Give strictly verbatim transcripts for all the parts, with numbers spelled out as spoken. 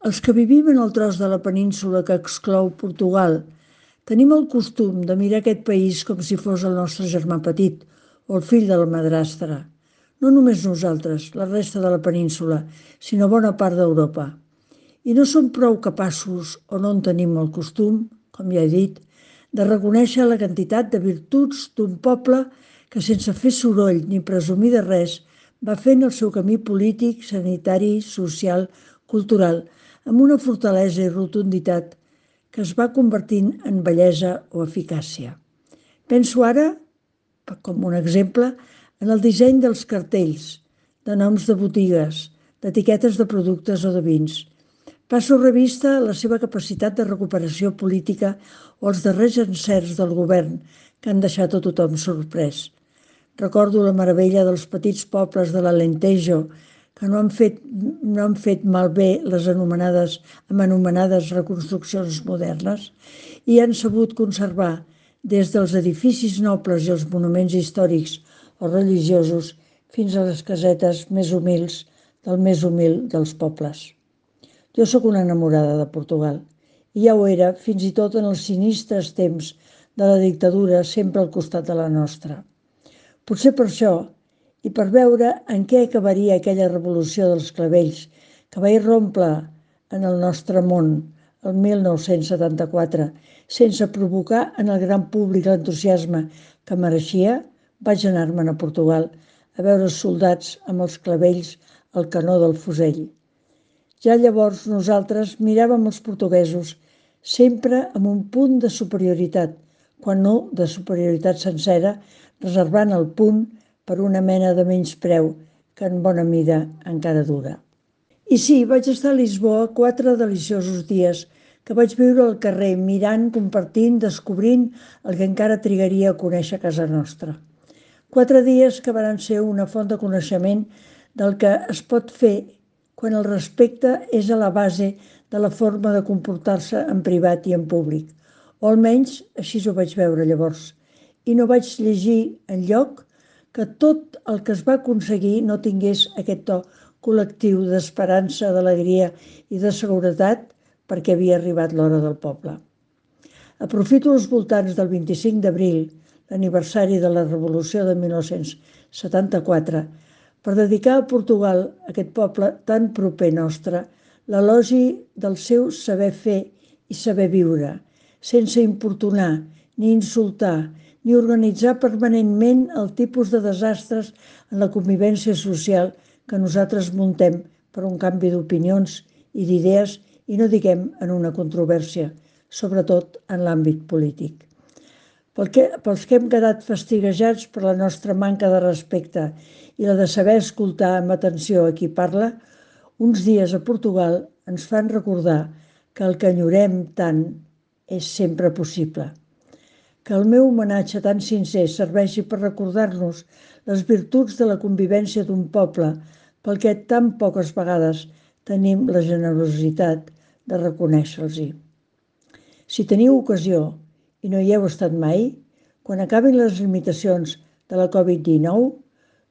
Els que vivim en el tros de la península que exclou Portugal tenim el costum de mirar aquest país com si fos el nostre germà petit o el fill de la madrastra. No només nosaltres, la resta de la península, sinó bona part d'Europa. I no som prou capaços, o no en tenim el costum, com ja he dit, de reconèixer la quantitat de virtuts d'un poble que sense fer soroll ni presumir de res va fent el seu camí polític, sanitari, social, cultural, amb una fortalesa i rotunditat que es va convertint en bellesa o eficàcia. Penso ara, com un exemple, en el disseny dels cartells, de noms de botigues, d'etiquetes de productes o de vins. Passo revista la seva capacitat de recuperació política o els darrers encerts del govern que han deixat a tothom sorprès. Recordo la meravella dels petits pobles de l'Alentejo que no han fet, no han fet malbé les anomenades, amb anomenades reconstruccions modernes i han sabut conservar des dels edificis nobles i els monuments històrics o religiosos fins a les casetes més humils del més humil dels pobles. Jo sóc una enamorada de Portugal i ja ho era fins i tot en els sinistres temps de la dictadura sempre al costat de la nostra. Potser per això, i per veure en què acabaria aquella revolució dels clavells que va irrompre en el nostre món el mil nou-cents setanta-quatre sense provocar en el gran públic l'entusiasme que mereixia, vaig anar-me'n a Portugal a veure els soldats amb els clavells al canó del fusell. Ja llavors nosaltres miràvem els portuguesos sempre amb un punt de superioritat, quan no de superioritat sencera, reservant el punt per una mena de menyspreu que en bona mida encara dura. I sí, vaig estar a Lisboa quatre deliciosos dies que vaig viure al carrer, mirant, compartint, descobrint el que encara trigaria a conèixer a casa nostra. Quatre dies que van ser una font de coneixement del que es pot fer quan el respecte és a la base de la forma de comportar-se en privat i en públic, o almenys així ho vaig veure llavors. I no vaig llegir enlloc que tot el que es va aconseguir no tingués aquest to col·lectiu d'esperança, d'alegria i de seguretat perquè havia arribat l'hora del poble. Aprofito els voltants del vint-i-cinc d'abril, l'aniversari de la Revolució de mil nou-cents setanta-quatre, per dedicar a Portugal, aquest poble tan proper nostre, l'elogi del seu saber fer i saber viure, sense importunar, ni insultar, ni organitzar permanentment el tipus de desastres en la convivència social que nosaltres muntem per un canvi d'opinions i d'idees i no diguem en una controvèrsia, sobretot en l'àmbit polític. Pels que hem quedat fastiguejats per la nostra manca de respecte i la de saber escoltar amb atenció a qui parla, uns dies a Portugal ens fan recordar que el que enyorem tant és sempre possible. Que el meu homenatge tan sincer serveixi per recordar-nos les virtuts de la convivència d'un poble pel que tan poques vegades tenim la generositat de reconèixer-los-hi. Si teniu ocasió i no hi heu estat mai, quan acabin les limitacions de la Covid dinou,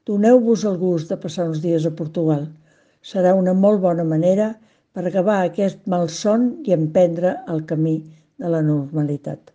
doneu-vos el gust de passar uns dies a Portugal. Serà una molt bona manera per acabar aquest malson i emprendre el camí de la normalitat.